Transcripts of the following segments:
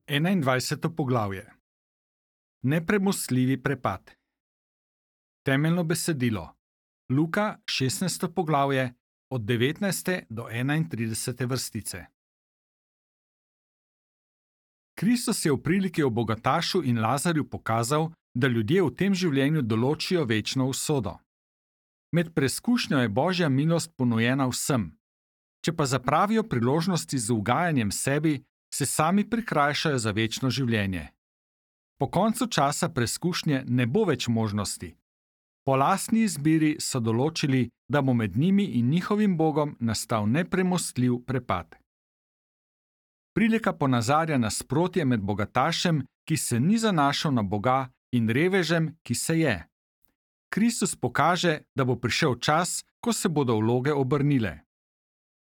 21. poglavje. Nepremostljivi prepad. Temeljno besedilo. Luka 16. poglavje od 19. do 31. vrstice. Kristus je v priliki o bogatašu in Lazarju pokazal, da ljudje v tem življenju določijo večno usodo. Med preskušnjo je Božja milost ponujena vsem. Če pa zapravijo priložnosti z ugajanjem sebi, se sami prikrajšajo za večno življenje. Po koncu časa preskušnje ne bo več možnosti. Po lastni izbiri so določili, da bo med njimi in njihovim Bogom nastal nepremostljiv prepad. Prilika ponazarja nasprotje med bogatašem, ki se ni zanašal na Boga, in revežem, ki se je. Kristus pokaže, da bo prišel čas, ko se bodo vloge obrnile.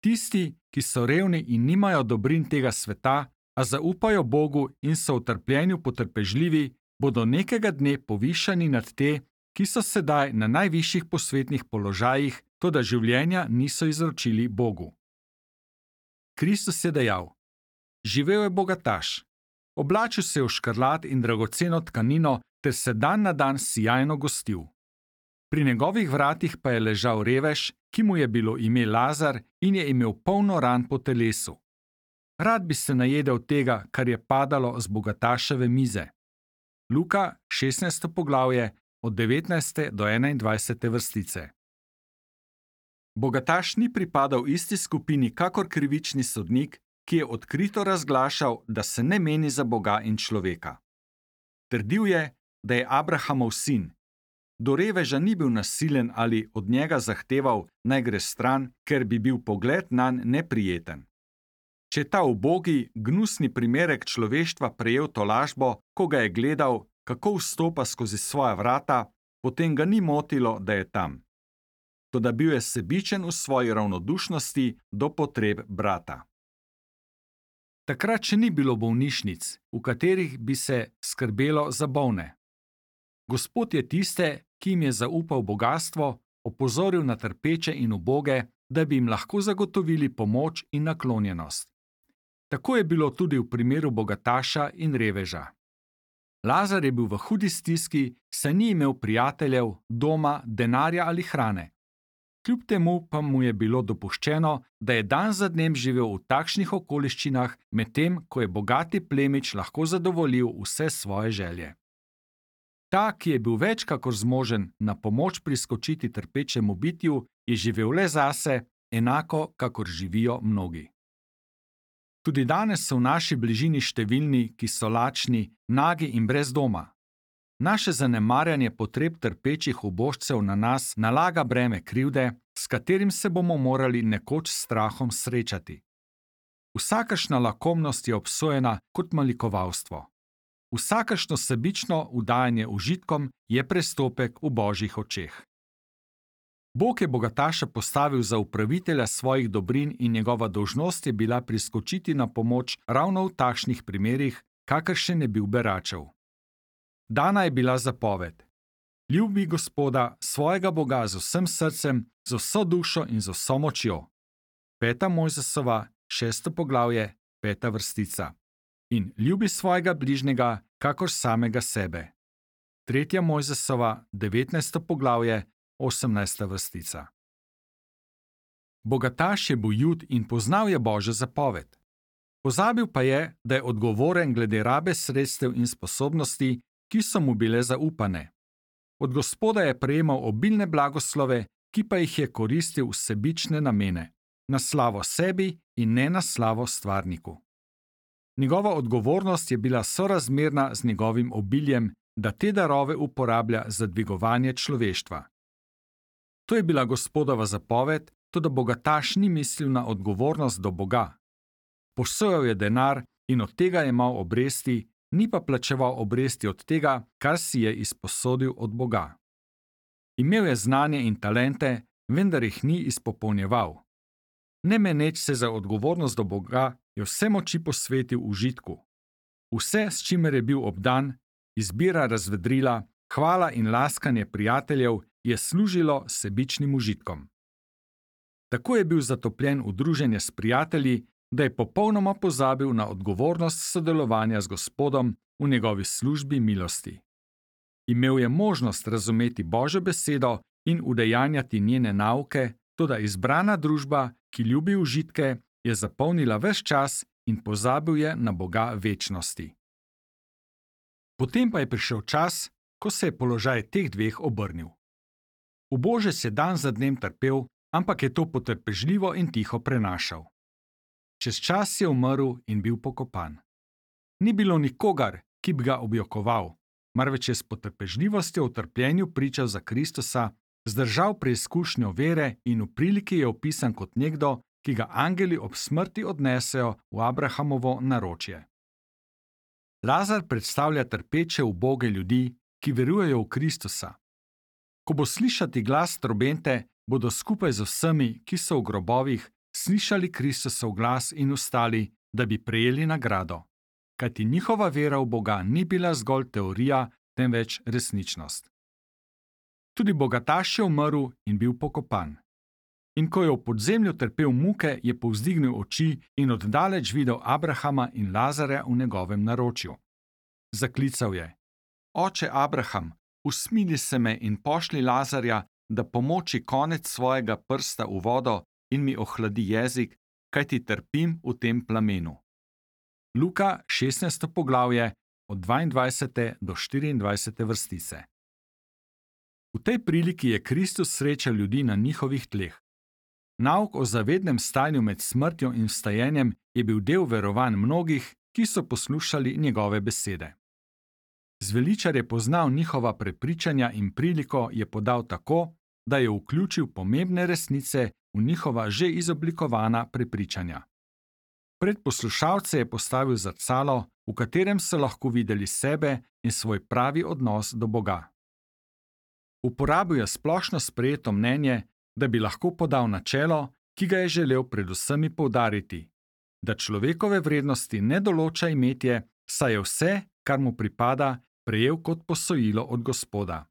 Tisti, ki so revni in nimajo dobrin tega sveta, a zaupajo Bogu in so v trpljenju potrpežljivi, bodo nekega dne povišani nad te, ki so sedaj na najvišjih posvetnih položajih, toda življenja niso izročili Bogu. Kristus je dejal: živel je bogataš. Oblačil se je v škrlat in dragoceno tkanino ter se dan na dan sijajno gostil. Pri njegovih vratih pa je ležal revež, ki mu je bilo ime Lazar in je imel polno ran po telesu. Rad bi se najedel tega, kar je padalo z bogataševe mize. Luka 16. poglavje od 19. do 21. vrstice. Bogataš ni pripadal isti skupini kakor krivični sodnik, ki je odkrito razglašal, da se ne meni za Boga in človeka. Trdil je, da je Abrahamov sin. Do reveža ni bil nasilen ali od njega zahteval, naj gre stran, ker bi bil pogled nanj neprijeten. Če je ta ubogi, gnusni primerek človeštva prejel tolažbo, ko ga je gledal, kako vstopa skozi svoja vrata, potem ga ni motilo, da je tam. Toda bil je sebičen v svoji ravnodušnosti do potreb brata. Takrat še ni bilo bolnišnic, v katerih bi se skrbelo za bolne. Gospod je tiste, ki jim je zaupal bogastvo, opozoril na trpeče in uboge, da bi jim lahko zagotovili pomoč in naklonjenost. Tako je bilo tudi v primeru bogataša in reveža. Lazar je bil v hudi stiski, saj ni imel prijateljev, doma, denarja ali hrane. Kljub temu pa mu je bilo dopuščeno, da je dan za dnem živel v takšnih okoliščinah, medtem ko je bogati plemič lahko zadovoljil vse svoje želje. Ta, ki je bil več kakor zmožen na pomoč priskočiti trpečemu bitju, je živel le zase, enako kakor živijo mnogi. Tudi danes so v naši bližini številni, ki so lačni, nagi in brez doma. Naše zanemarjanje potreb trpečih ubožcev na nas nalaga breme krivde, s katerim se bomo morali nekoč s strahom srečati. Vsakašna lakomnost je obsojena kot malikovalstvo. Vsakašno sebično vdajanje užitkom je prestopek v Božjih očeh. Bog je bogataša postavil za upravitelja svojih dobrin in njegova dolžnost je bila priskočiti na pomoč ravno v takšnih primerih, kakršen je bil beračev. Dana je bila zapoved: ljubi Gospoda, svojega Boga z vsem srcem, z vso dušo in z vso močjo. 5. Mojzesova, 6. poglavje, 5. vrstica. In ljubi svojega bližnjega, kakor samega sebe. 3. Mojzesova, 19. poglavje, 18. vrstica. Bogataš je bil Jud in poznal je Božjo zapoved. Pozabil pa je, da je odgovoren glede rabe sredstev in sposobnosti, ki so mu bile zaupane. Od Gospoda je prejemal obilne blagoslove, ki pa jih je koristil v sebične namene, na slavo sebi in ne na slavo stvarniku. Njegova odgovornost je bila sorazmerna z njegovim obiljem, da te darove uporablja za dvigovanje človeštva. To je bila Gospodova zapoved, toda bogataš ni mislil na odgovornost do Boga. Posojal je denar in od tega jemal obresti, ni pa plačeval obresti od tega, kar si je izposodil od Boga. Imel je znanje in talente, vendar jih ni izpopolnjeval. Ne meneč se za odgovornost do Boga, je vse moči posvetil užitku. Vse, s čimer je bil obdan, izbira razvedrila, hvala in laskanje prijateljev, je služilo sebičnim užitkom. Tako je bil zatopljen v druženje s prijatelji, da je popolnoma pozabil na odgovornost sodelovanja z Gospodom v njegovi službi milosti. Imel je možnost razumeti Božjo besedo in udejanjati njene nauke, toda izbrana družba, ki ljubi užitke, je zapolnila ves čas in pozabil je na Boga večnosti. Potem pa je prišel čas, ko se je položaj teh dveh obrnil. Ubožec je dan za dnem trpel, ampak je to potrpežljivo in tiho prenašal. Čez čas je umrl in bil pokopan. Ni bilo nikogar, ki bi ga objokoval, marveč je s potrpežljivostjo v trpljenju pričal za Kristusa, zdržal preizkušnjo vere in v priliki je opisan kot nekdo, ki ga angeli ob smrti odnesejo v Abrahamovo naročje. Lazar predstavlja trpeče uboge ljudi, ki verujejo v Kristusa. Ko bo slišati glas trobente, bodo skupaj z vsemi, ki so v grobovih, slišali Kristusov glas in vstali, da bi prejeli nagrado. Kajti njihova vera v Boga ni bila zgolj teorija, temveč resničnost. Tudi bogataš je umrl in bil pokopan. In ko je v podzemlju trpel muke, je povzdignil oči in oddaleč videl Abrahama in Lazarja v njegovem naročju. Zaklical je: Oče Abraham, usmili se me in pošlji Lazarja, da pomoči konec svojega prsta v vodo in mi ohladi jezik, kajti trpim v tem plamenu. Luka 16. poglavje od 22. do 24. vrstice. V tej priliki je Kristus srečal ljudi na njihovih tleh. Nauk o zavednem stanju med smrtjo in vstajenjem je bil del verovanj mnogih, ki so poslušali njegove besede. Zveličar je poznal njihova prepričanja in priliko je podal tako, da je vključil pomembne resnice v njihova že izoblikovana prepričanja. Pred poslušalce je postavil zrcalo, v katerem so lahko videli sebe in svoj pravi odnos do Boga. Uporabil je splošno sprejeto mnenje, da bi lahko podal načelo, ki ga je želel predvsem poudariti, da človekove vrednosti ne določa imetje, saj je vse, kar mu pripada, prejel kot posojilo od Gospoda.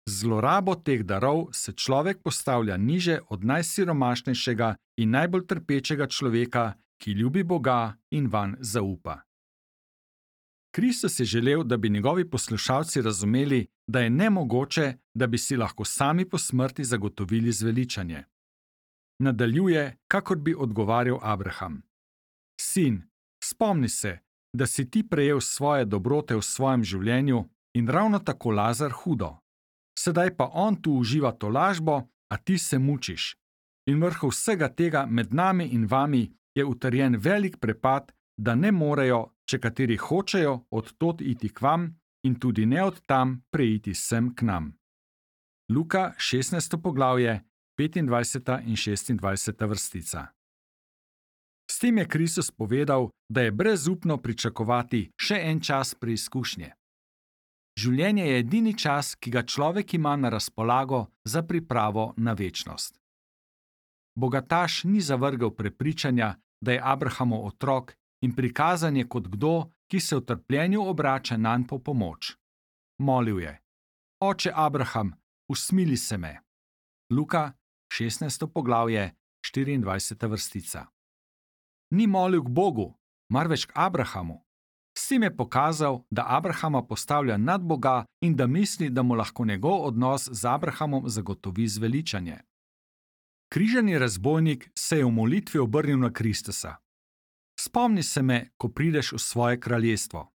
Z zlorabo teh darov se človek postavlja niže od najsiromašnejšega in najbolj trpečega človeka, ki ljubi Boga in vanj zaupa. Kristus je želel, da bi njegovi poslušalci razumeli, da je nemogoče, da bi si lahko sami po smrti zagotovili zveličanje. Nadaljuje, kakor bi odgovarjal Abraham: Sin, spomni se, da si ti prejel svoje dobrote v svojem življenju in ravno tako Lazar hudo. Sedaj pa on tu uživa tolažbo, a ti se mučiš. In vrhu vsega tega med nami in vami je utrjen velik prepad, da ne morejo, če kateri hočejo, od tod iti k vam in tudi ne od tam preiti sem k nam. Luka 16. poglavje, 25. in 26. vrstica. S tem je Kristus povedal, da je brezupno pričakovati še en čas preizkušnje. Življenje je edini čas, ki ga človek ima na razpolago za pripravo na večnost. Bogataš ni zavrgel prepričanja, da je Abrahamov otrok in prikazan je kot kdo, ki se v trpljenju obrača nanj po pomoč. Molil je: Oče Abraham, usmili se me. Luka 16. poglavje, 24. vrstica. Ni molil k Bogu, marveč k Abrahamu. S tem je pokazal, da Abrahama postavlja nad Boga in da misli, da mu lahko njegov odnos z Abrahamom zagotovi zveličanje. Križani razbojnik se je v molitvi obrnil na Kristusa. Spomni se me, ko prideš v svoje kraljestvo.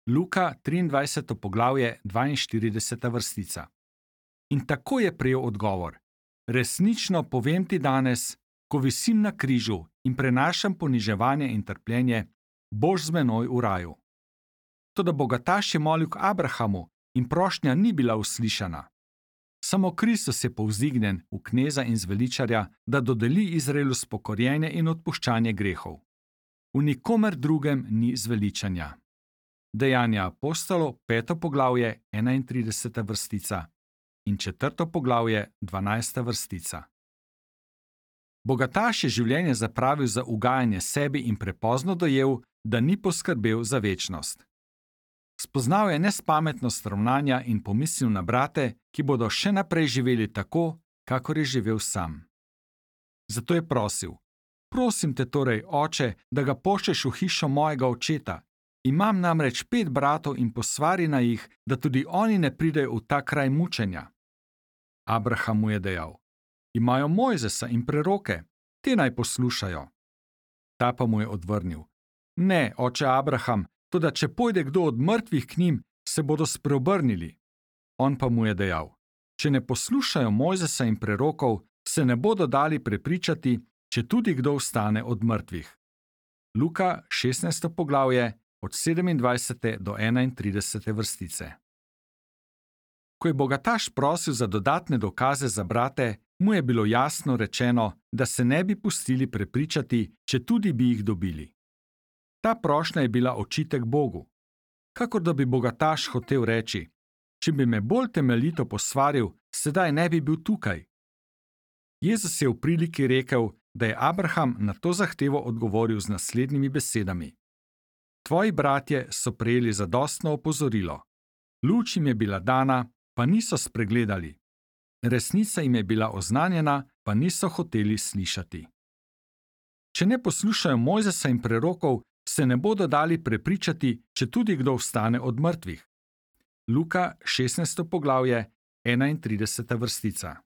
Luka 23. poglavje, 42. vrstica. In tako je prejel odgovor: Resnično povem ti danes, ko visim na križu in prenašam poniževanje in trpljenje, boš z menoj v raju. Toda bogataš je molil k Abrahamu in prošnja ni bila uslišana. Samo Kristus je povzdignjen v kneza in zveličarja, da dodeli Izraelu spokorjenje in odpuščanje grehov. V nikomer drugem ni zveličanja. Dejanja apostolov, 5. poglavje, 31. vrstica in 4. poglavje, 12. vrstica. Bogataš je življenje zapravil za ugajanje sebi in prepozno dojel, da ni poskrbel za večnost. Spoznal je nespametnost ravnanja in pomislil na brate, ki bodo še naprej živeli tako, kakor je živel sam. Zato je prosil: Prosim te torej, oče, da ga pošlješ v hišo mojega očeta. Imam namreč 5 bratov in posvari na jih, da tudi oni ne pridejo v ta kraj mučenja. Abraham mu je dejal: Imajo Mojzesa in preroke, te naj poslušajo. Ta pa mu je odvrnil: Ne, oče Abraham, toda če pojde kdo od mrtvih k njim, se bodo spreobrnili. On pa mu je dejal: Če ne poslušajo Mojzesa in prerokov, se ne bodo dali prepričati, če tudi kdo vstane od mrtvih. Luka 16. poglavje od 27. do 31. vrstice. Ko je bogataš prosil za dodatne dokaze za brate, mu je bilo jasno rečeno, da se ne bi pustili prepričati, če tudi bi jih dobili. Ta prošnja je bila očitek Bogu. Kakor da bi bogataš hotel reči: Če bi me bolj temeljito posvaril, sedaj ne bi bil tukaj. Jezus je v priliki rekel, da je Abraham na to zahtevo odgovoril z naslednjimi besedami: Tvoji bratje so prejeli zadostno opozorilo. Luč jim je bila dana, pa niso spregledali. Resnica jim je bila oznanjena, pa niso hoteli slišati. Če ne poslušajo Mojzesa in prerokov, se ne bodo dali prepričati, če tudi kdo vstane od mrtvih. Luka 16. poglavje, 31. vrstica.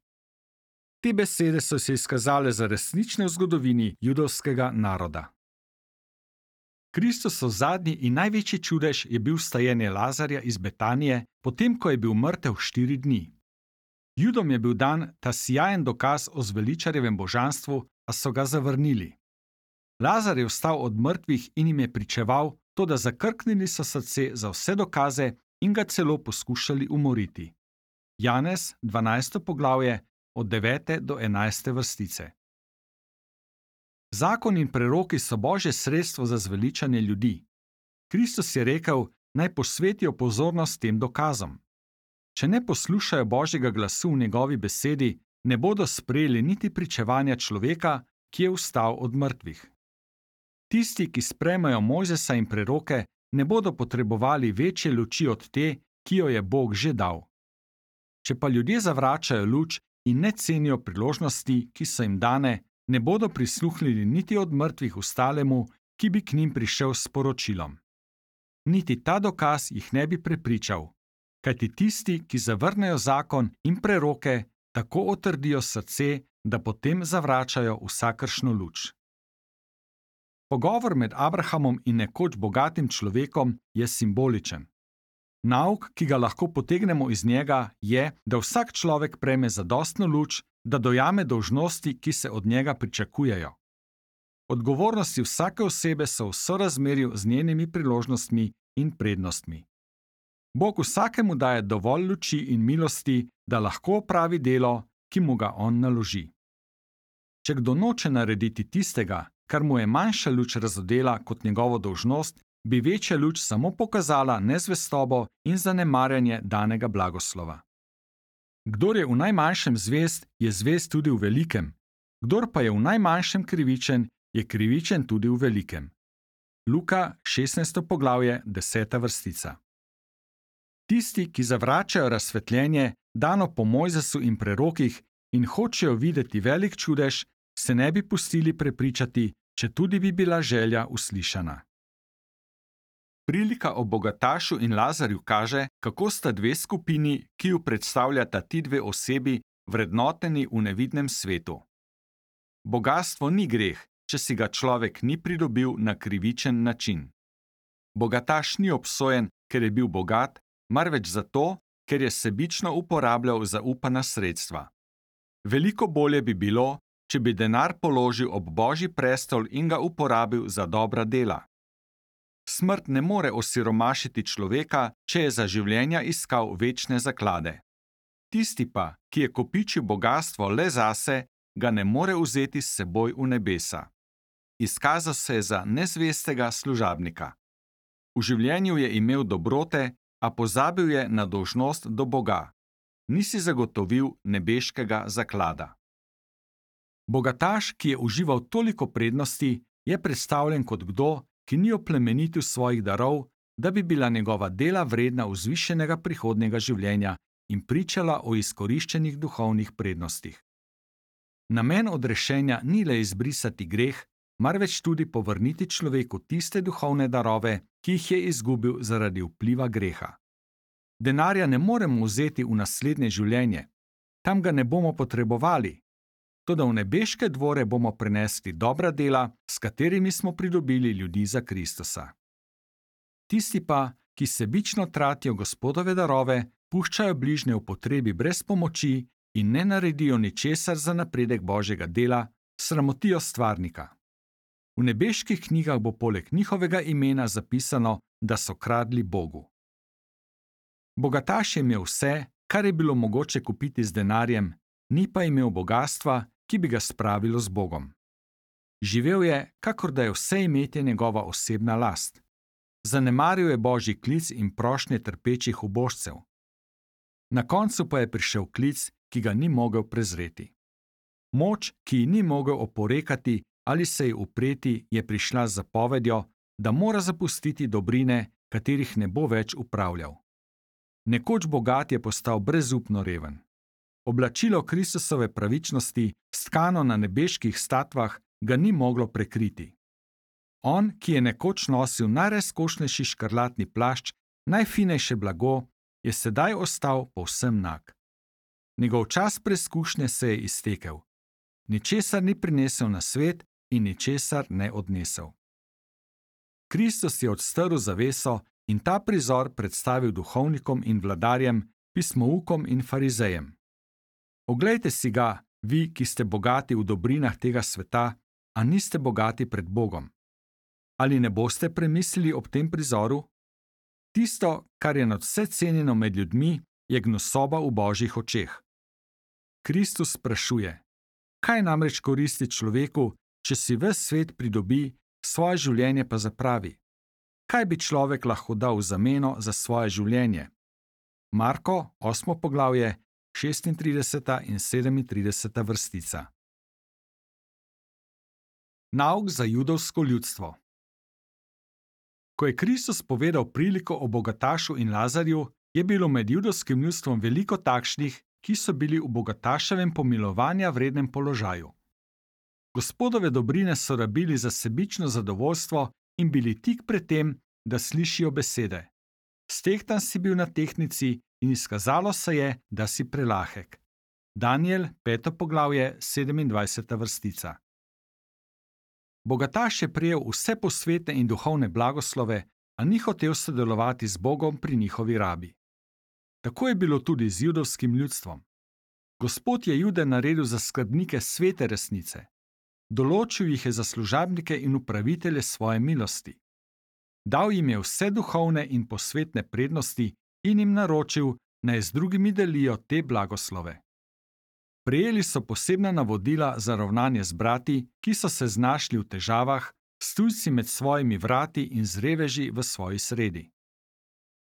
Te besede so se izkazale za resnične v zgodovini judovskega naroda. Kristusov zadnji in največji čudež je bil vstajenje Lazarja iz Betanije, potem ko je bil mrtev 4 dni. Judom je bil dan ta sijajen dokaz o zveličarjevem božanstvu, a so ga zavrnili. Lazar je vstal od mrtvih in jim je pričeval, toda zakrknili so srce za vse dokaze in ga celo poskušali umoriti. Janez 12. poglavje od 9. do 11. vrstice. Zakon in preroki so Božje sredstvo za zveličanje ljudi. Kristus je rekel, naj posvetijo pozornost tem dokazom. Če ne poslušajo Božjega glasu v njegovi besedi, ne bodo sprejeli niti pričevanja človeka, ki je vstal od mrtvih. Tisti, ki sprejmejo Mojzesa in preroke, ne bodo potrebovali večje luči od te, ki jo je Bog že dal. Če pa ljudje zavračajo luč in ne cenijo priložnosti, ki so jim dane, ne bodo prisluhnili niti od mrtvih vstalemu, ki bi k njim prišel s sporočilom. Niti ta dokaz jih ne bi prepričal, kajti tisti, ki zavrnejo zakon in preroke, tako otrdijo srce, da potem zavračajo vsakršno luč. Pogovor med Abrahamom in nekoč bogatim človekom je simboličen. Nauk, ki ga lahko potegnemo iz njega, je, da vsak človek prejme zadostno luč, da dojame dolžnosti, ki se od njega pričakujejo. Odgovornosti vsake osebe so v sorazmerju z njenimi priložnostmi in prednostmi. Bog vsakemu daje dovolj luči in milosti, da lahko opravi delo, ki mu ga on naloži. Če kdo noče narediti tistega, kar mu je manjša luč razodela kot njegovo dolžnost, bi večja luč samo pokazala nezvestobo in zanemarjanje danega blagoslova. Kdor je v najmanjšem zvest, je zvest tudi v velikem. Kdor pa je v najmanjšem krivičen, je krivičen tudi v velikem. Luka 16. poglavje, 10. vrstica. Tisti, ki zavračajo razsvetljenje, dano po Mojzesu in prerokih, in hočejo videti velik čudež, se ne bi pustili prepričati, če tudi bi bila želja uslišana. Prilika o bogatašu in Lazarju kaže, kako sta dve skupini, ki ju predstavljata ti dve osebi, vrednoteni v nevidnem svetu. Bogastvo ni greh, če si ga človek ni pridobil na krivičen način. Bogataš ni obsojen, ker je bil bogat, marveč zato, ker je sebično uporabljal zaupana sredstva. Veliko bolje bi bilo, če bi denar položil ob Božji prestol in ga uporabil za dobra dela. Smrt ne more osiromašiti človeka, če je za življenja iskal večne zaklade. Tisti pa, ki je kopičil bogastvo le zase, ga ne more vzeti s seboj v nebesa. Izkazal se je za nezvestega služabnika. V življenju je imel dobrote, a pozabil je na dolžnost do Boga. Nisi zagotovil nebeškega zaklada. Bogataš, ki je užival toliko prednosti, je predstavljen kot kdo, ki ni oplemenitil svojih darov, da bi bila njegova dela vredna vzvišenega prihodnjega življenja in pričala o izkoriščenih duhovnih prednostih. Namen odrešenja ni le izbrisati greh, marveč tudi povrniti človeku tiste duhovne darove, ki jih je izgubil zaradi vpliva greha. Denarja ne moremo vzeti v naslednje življenje, tam ga ne bomo potrebovali, toda v nebeške dvore bomo prinesli dobra dela, s katerimi smo pridobili ljudi za Kristusa. Tisti pa, ki sebično tratijo Gospodove darove, puščajo bližnje v potrebi brez pomoči in ne naredijo ničesar za napredek Božjega dela, sramotijo stvarnika. V nebeških knjigah bo poleg njihovega imena zapisano, da so kradli Bogu. Bogataš je imel vse, kar je bilo mogoče kupiti z denarjem, ni pa imel bogastva, ki bi ga spravilo z Bogom. Živel je, kakor da je vse imetje njegova osebna last. Zanemaril je Božji klic in prošnje trpečih ubožcev. Na koncu pa je prišel klic, ki ga ni mogel prezreti. Moč, ki ji ni mogel oporekati ali se ji upreti, je prišla z zapovedjo, da mora zapustiti dobrine, katerih ne bo več upravljal. Nekoč bogat je postal brezupno reven. Oblačilo Kristusove pravičnosti, stkano na nebeških statvah, ga ni moglo prekriti. On, ki je nekoč nosil najrazkošnejši škrlatni plašč, najfinejše blago, je sedaj ostal povsem nag. Njegov čas preizkušnje se je iztekel. Ničesar ni prinesel na svet in ničesar ne odnesel. Kristus je odstrl zaveso in ta prizor predstavil duhovnikom in vladarjem, pismoukom in farizejem. Oglejte si ga, vi, ki ste bogati v dobrinah tega sveta, a niste bogati pred Bogom. Ali ne boste premislili ob tem prizoru? Tisto, kar je nadvse cenjeno med ljudmi, je gnusoba v Božjih očeh. Kristus sprašuje, kaj namreč koristi človeku, če si ves svet pridobi, svoje življenje pa zapravi? Kaj bi človek lahko dal v zameno za svoje življenje? Marko, 8. poglavje, 36. in 37. vrstica. Nauk za judovsko ljudstvo. Ko je Kristus povedal priliko o bogatašu in Lazarju, je bilo med judovskim ljudstvom veliko takšnih, ki so bili v bogataševem pomilovanja vrednem položaju. Gospodove dobrine so rabili za sebično zadovoljstvo in bili tik pred tem, da slišijo besede. Stehtan si bil na tehtnici in izkazalo se je, da si prelahek. Danijel, 5. poglavje, 27. vrstica. Bogataš je prejel vse posvetne in duhovne blagoslove, a ni hotel sodelovati z Bogom pri njihovi rabi. Tako je bilo tudi z judovskim ljudstvom. Gospod je Jude naredil za skrbnike svete resnice. Določil jih je za služabnike in upravitelje svoje milosti. Dal jim je vse duhovne in posvetne prednosti in jim naročil, naj z drugimi delijo te blagoslove. Prejeli so posebna navodila za ravnanje z brati, ki so se znašli v težavah, s tujci med svojimi vrati in z reveži v svoji sredi.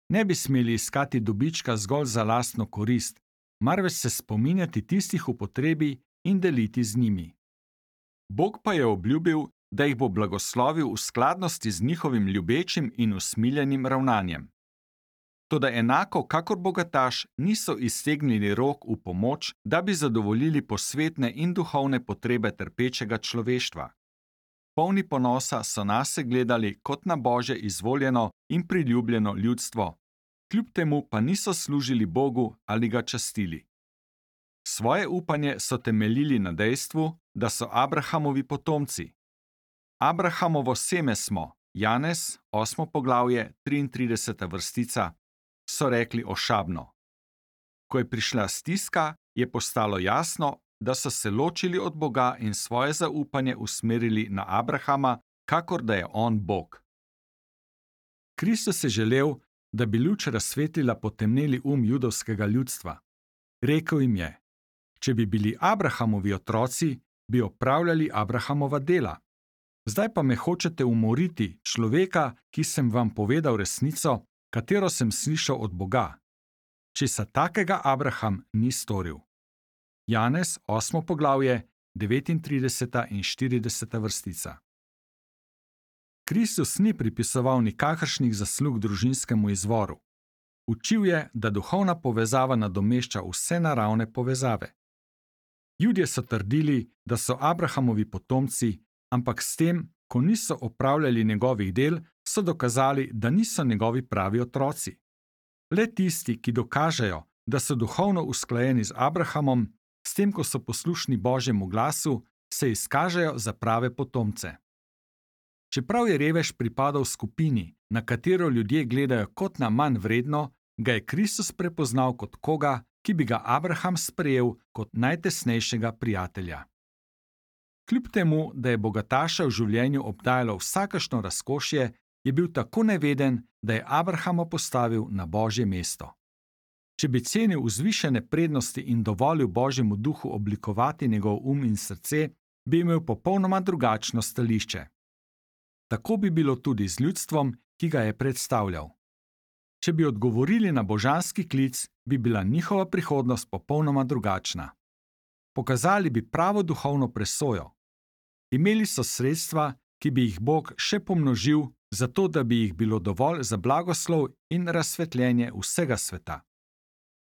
Ne bi smeli iskati dobička zgolj za lastno korist, marveč se spominjati tistih v potrebi in deliti z njimi. Bog pa je obljubil, da jih bo blagoslovil v skladnosti z njihovim ljubečim in usmiljenim ravnanjem. Toda enako kakor bogataš niso iztegnili rok v pomoč, da bi zadovoljili posvetne in duhovne potrebe trpečega človeštva. Polni ponosa so nase gledali kot na Božje izvoljeno in priljubljeno ljudstvo, kljub temu pa niso služili Bogu ali ga častili. Svoje upanje so temeljili na dejstvu, da so Abrahamovi potomci. Abrahamovo seme smo, Janez, 8. poglavje, 33. vrstica, so rekli ošabno. Ko je prišla stiska, je postalo jasno, da so se ločili od Boga in svoje zaupanje usmerili na Abrahama, kakor da je on Bog. Kristus je želel, da bi luč razsvetlila potemneli judovskega ljudstva. Rekel jim je, če bi bili Abrahamovi otroci, bi opravljali Abrahamova dela. Zdaj pa me hočete umoriti, človeka, ki sem vam povedal resnico, katero sem slišal od Boga. Česa takega Abraham ni storil. Janez, 8. poglavje, 39. in 40. vrstica. Kristus ni pripisoval nikakršnih zaslug družinskemu izvoru. Učil je, da duhovna povezava nadomešča vse naravne povezave. Judje so trdili, da so Abrahamovi potomci, ampak s tem, ko niso opravljali njegovih del, so dokazali, da niso njegovi pravi otroci. Le tisti, ki dokažejo, da so duhovno usklajeni z Abrahamom, s tem, ko so poslušni Božjemu glasu, se izkažejo za prave potomce. Čeprav je revež pripadal skupini, na katero ljudje gledajo kot na manj vredno, ga je Kristus prepoznal kot koga, ki bi ga Abraham sprejel kot najtesnejšega prijatelja. Kljub temu, da je bogataša v življenju obdajalo vsakašno razkošje, je bil tako neveden, da je Abrahama postavil na Božje mesto. Če bi cenil vzvišene prednosti in dovolil Božjemu duhu oblikovati njegov in srce, bi imel popolnoma drugačno stališče. Tako bi bilo tudi z ljudstvom, ki ga je predstavljal. Če bi odgovorili na božanski klic, bi bila njihova prihodnost popolnoma drugačna. Pokazali bi pravo duhovno presojo. Imeli so sredstva, ki bi jih Bog še pomnožil, zato da bi jih bilo dovolj za blagoslov in razsvetljenje vsega sveta.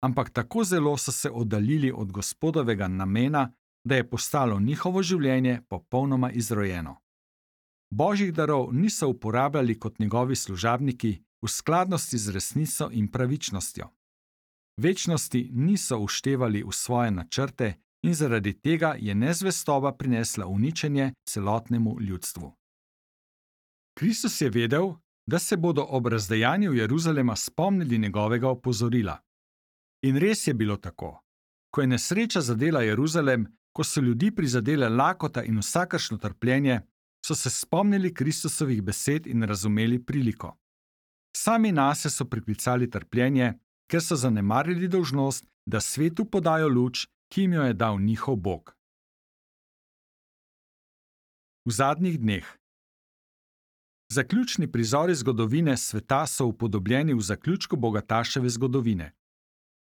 Ampak tako zelo so se oddaljili od Gospodovega namena, da je postalo njihovo življenje popolnoma izrojeno. Božjih darov niso uporabljali kot njegovi služabniki v skladnosti z resnico in pravičnostjo. Večnosti niso uštevali v svoje načrte in zaradi tega je nezvestoba prinesla uničenje celotnemu ljudstvu. Kristus je vedel, da se bodo ob razdejanju Jeruzalema spomnili njegovega opozorila. In res je bilo tako. Ko je nesreča zadela Jeruzalem, ko so ljudi prizadele lakota in vsakršno trpljenje, so se spomnili Kristusovih besed in razumeli priliko. Sami nase so priklicali trpljenje, ker so zanemarili dolžnost, da svetu podajo luč, ki jim jo je dal njihov Bog. V zadnjih dneh. Zaključni prizori zgodovine sveta so upodobljeni v zaključku bogataševe zgodovine.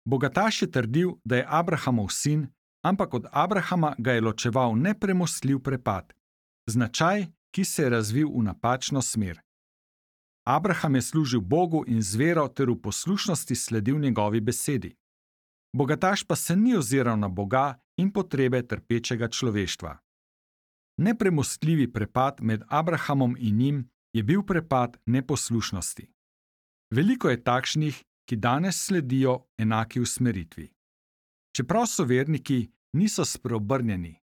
Bogataš je trdil, da je Abrahamov sin, ampak od Abrahama ga je ločeval nepremostljiv prepad, značaj, ki se je razvil v napačno smer. Abraham je služil Bogu in z vero ter v poslušnosti sledil njegovi besedi. Bogataš pa se ni oziral na Boga in potrebe trpečega človeštva. Nepremostljivi prepad med Abrahamom in njim je bil prepad neposlušnosti. Veliko je takšnih, ki danes sledijo enaki usmeritvi. Čeprav so verniki, niso spreobrnjeni.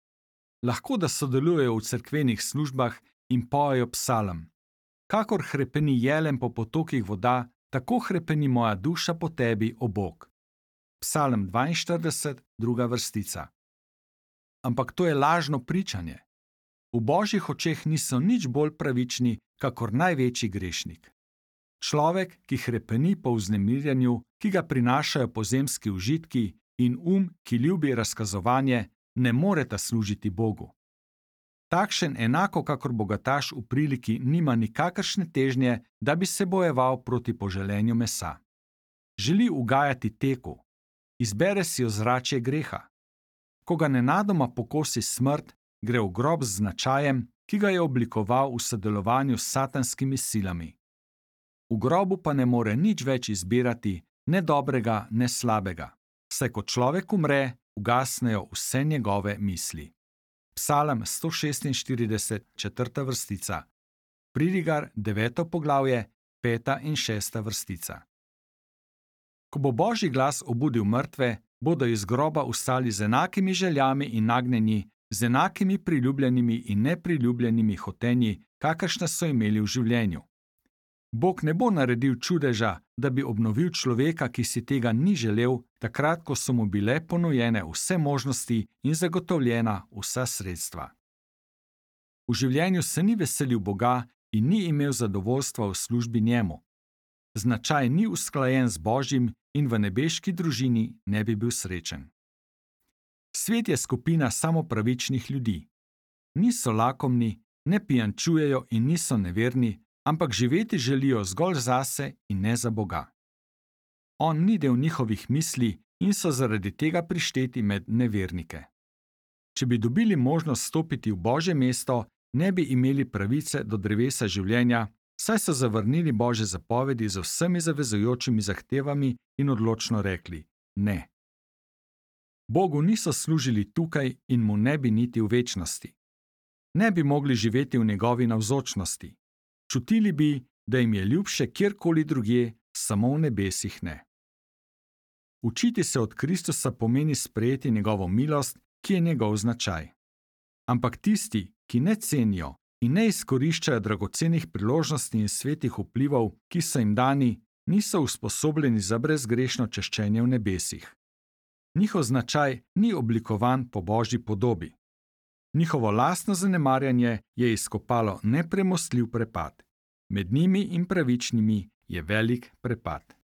Lahko da sodelujejo v cerkvenih službah in pojejo psalem. Kakor hrepeni jelen po potokih voda, tako hrepeni moja duša po tebi, o Bog. Psalem 42, 2. vrstica. Ampak to je lažno pričanje. V Božjih očeh niso nič bolj pravični, kakor največji grešnik. Človek, ki hrepeni po vznemirjanju, ki ga prinašajo pozemski užitki, in ki ljubi razkazovanje, ne moreta služiti Bogu. Takšen enako kakor bogataš v priliki nima nikakršne težnje, da bi se bojeval proti poželenju mesa. Želi ugajati teku, izbere si ozračje greha. Ko ga nenadoma pokosi smrt, gre v grob z značajem, ki ga je oblikoval v sodelovanju s satanskimi silami. V grobu pa ne more nič več izbirati, ne dobrega, ne slabega, saj ko človek umre, ugasnejo vse njegove misli. Psalem 146, 4. vrstica. Pridigar, 9. poglavje, 5. in 6. vrstica. Ko bo Božji glas obudil mrtve, bodo iz groba vstali z enakimi željami in nagnjenji, z enakimi priljubljenimi in nepriljubljenimi hotenji, kakršne so imeli v življenju. Bog ne bo naredil čudeža, da bi obnovil človeka, ki si tega ni želel, takrat, ko so mu bile ponujene vse možnosti in zagotovljena vsa sredstva. V življenju se ni veselil Boga in ni imel zadovoljstva v službi njemu. Značaj ni usklajen z Božjim in v nebeški družini ne bi bil srečen. Svet je skupina samopravičnih ljudi. Niso lakomni, ne pijančujejo in niso neverni, ampak živeti želijo zgolj zase in ne za Boga. On ni del njihovih misli in so zaradi tega prišteti med nevernike. Če bi dobili možnost stopiti v Božje mesto, ne bi imeli pravice do drevesa življenja, saj so zavrnili Božje zapovedi z vsemi zavezujočimi zahtevami in odločno rekli ne. Bogu niso služili tukaj in mu ne bi niti v večnosti. ne bi mogli živeti v njegovi navzočnosti. Čutili bi, da jim je ljubše kjerkoli drugje, samo v nebesih ne. Učiti se od Kristusa pomeni sprejeti njegovo milost, ki je njegov značaj. Ampak tisti, ki ne cenijo in ne izkoriščajo dragocenih priložnosti in svetih vplivov, ki so jim dani, niso usposobljeni za brezgrešno češčenje v nebesih. Njihov značaj ni oblikovan po Božji podobi. Njihovo lastno zanemarjanje je izkopalo nepremostljiv prepad. Med njimi in pravičnimi je velik prepad.